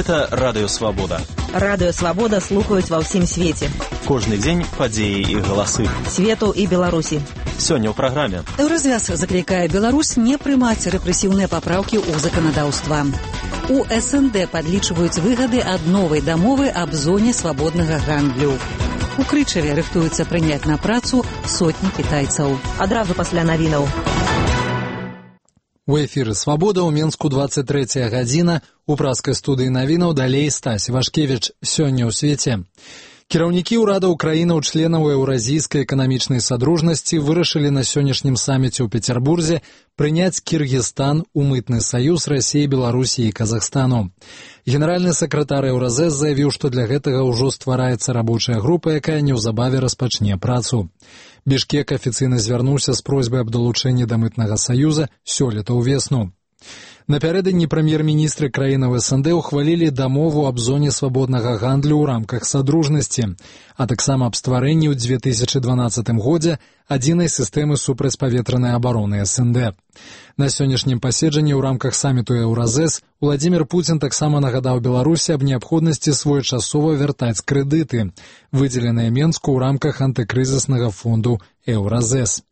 Гэта Радыё Свабода. Радыё Свабода слухаюць ва ўсім свеце. Кожны дзень падзеі і галасы. Свету і Беларусі. Сёння ў праграме. Еўразвяз заклікае Беларусь не прымаць рэпрэсіўныя папраўкі ў заканадаўства. У СНД падлічваюць выгады ад новай дамовы аб зоне свабоднага гандлю. У Крычаве рыхтуюцца прыняць на працу сотні кітайцаў. Адразу пасля навінаў. У эфіры «Свабода» ў Менску 23 гадзіна. У праскай студыі навінаў далей Стась Вашкевіч. Сёння ў свеце. Кіраўнікі ўрадаў краінаў-членаў Еўразійскай эканамічнай садружнасці вырашылі на сённяшнім саміце ў Петербурзе прыняць Кіргізстан у мытны саюз Расіі, Беларусі і Казахстану. Генеральны сакратар Еўразэс заявіў, што для гэтага ўжо ствараецца рабочая група, якая неўзабаве распачне працу. Бішкек афіцыйна звярнуўся з просьбай аб далучэнні да мытнага саюза сёлета ўвесну. Напярэдадні прэм'ер-міністры краінаў СНД ухвалілі дамову аб зоне свабоднага гандлю ў рамках садружнасці, а таксама аб стварэнні ў 2012 годзе адзінай сістэмы супрацьпаветранай абароны СНД. На сённяшнім паседжанні ў рамках саміту Еўразэс Владзімір Пуцін таксама нагадаў Беларусі аб неабходнасці своечасова вяртаць крэдыты, выдзеленыя Менску ў рамках антыкрызіснага фонду Еўразэс.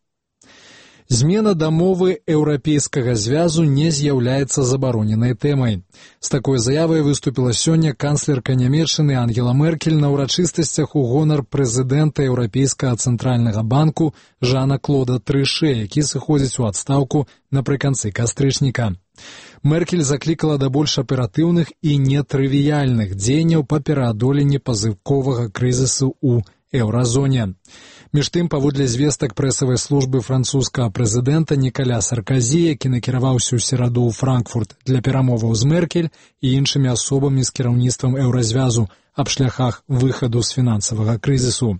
Змена дамовы Еўрапейскага звязу не з'яўляецца забароненай тэмай. З такой заявай выступіла сёння канцлерка Нямецчыны Ангела Меркель на ўрачыстасцях у гонар прэзідэнта Еўрапейскага цэнтральнага банку Жана-Клода Трыше, які сыходзіць у адстаўку напрыканцы кастрычніка. Меркель заклікала да больш аператыўных і нетрывіяльных дзеянняў па пераадоленні пазыковага крызісу ў еўразоне. Між тым, паводле звестак прэсавай службы французскага прэзідэнта Нікаля Сарказі, які накіраваўся ў сераду ў Франкфурт для перамоваў з Меркель і іншымі асобамі з кіраўніцтвам еўразвязу аб шляхах выхаду з фінансавага крызісу.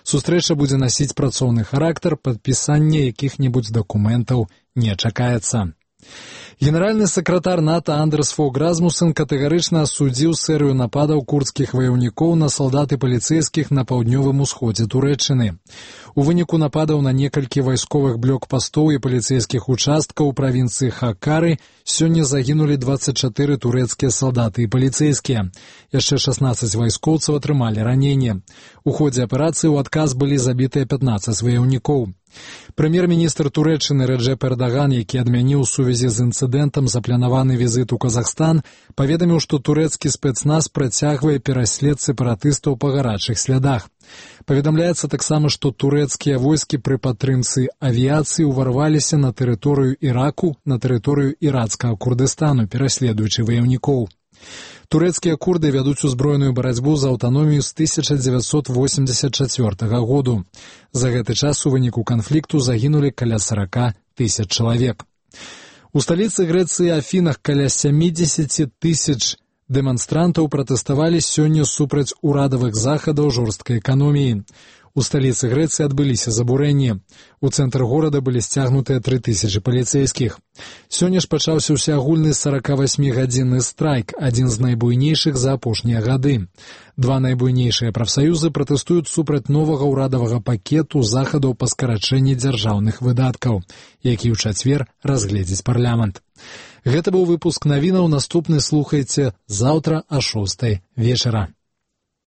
Сустрэча будзе насіць працоўны характар, падпісання якіх-небудзь дакументаў не чакаецца. Генеральны сакратар НАТО Андерс Фог Расмуссен катэгарычна асудзіў серыю нападаў курдскіх ваяўнікоў на салдат і паліцэйскіх на паўднёвым усходзе Турэччыны. У выніку нападаў на некалькі вайсковых блокпастоў і паліцэйскіх участкаў у правінцыі Хаккары сёння загінулі 24 турэцкія салдаты і паліцэйскія. Яшчэ 16 вайскоўцаў атрымалі раненне. У ходзе аперацыі ў адказ былі забітыя 15 ваяўнікоў. Прэм'ер-міністр Турэччыны Рэджэп Эрдаган, які адмяніў у сувязі з інцыдэнтам запланаваны візіт у Казахстан, паведаміў, што турэцкі спецназ працягвае пераслед сепаратыстаў па гарачых слядах. Паведамляецца таксама, што турэцкія войскі пры падтрымцы авіяцыі ўварваліся на тэрыторыю Іраку, на тэрыторыю ірацкага Курдыстану, пераследуючы ваяўнікоў. Турэцкія курды вядуць узброеную барацьбу за аўтаномію з 1984 году. За гэты час у выніку канфлікту загінулі каля 40 000 чалавек. У сталіцы Грэцыі Афінах каля 70 000 дэманстрантаў пратэставалі сёння супраць урадавых захадаў жорсткай эканоміі. У сталіцы Грэцыі адбыліся забурэнні. У цэнтр горада былі сцягнутыя 3000 паліцэйскіх. Сёння ж пачаўся ўсеагульны 48-гадзінны страйк, адзін з найбуйнейшых за апошнія гады. Два найбуйнейшыя прафсаюзы пратэстуюць супраць новага ўрадавага пакету захадаў па скарачэнні дзяржаўных выдаткаў, які ў чацвер разгледзіць парламент. Гэта быў выпуск навінаў, наступны слухайце заўтра о 6 вечара.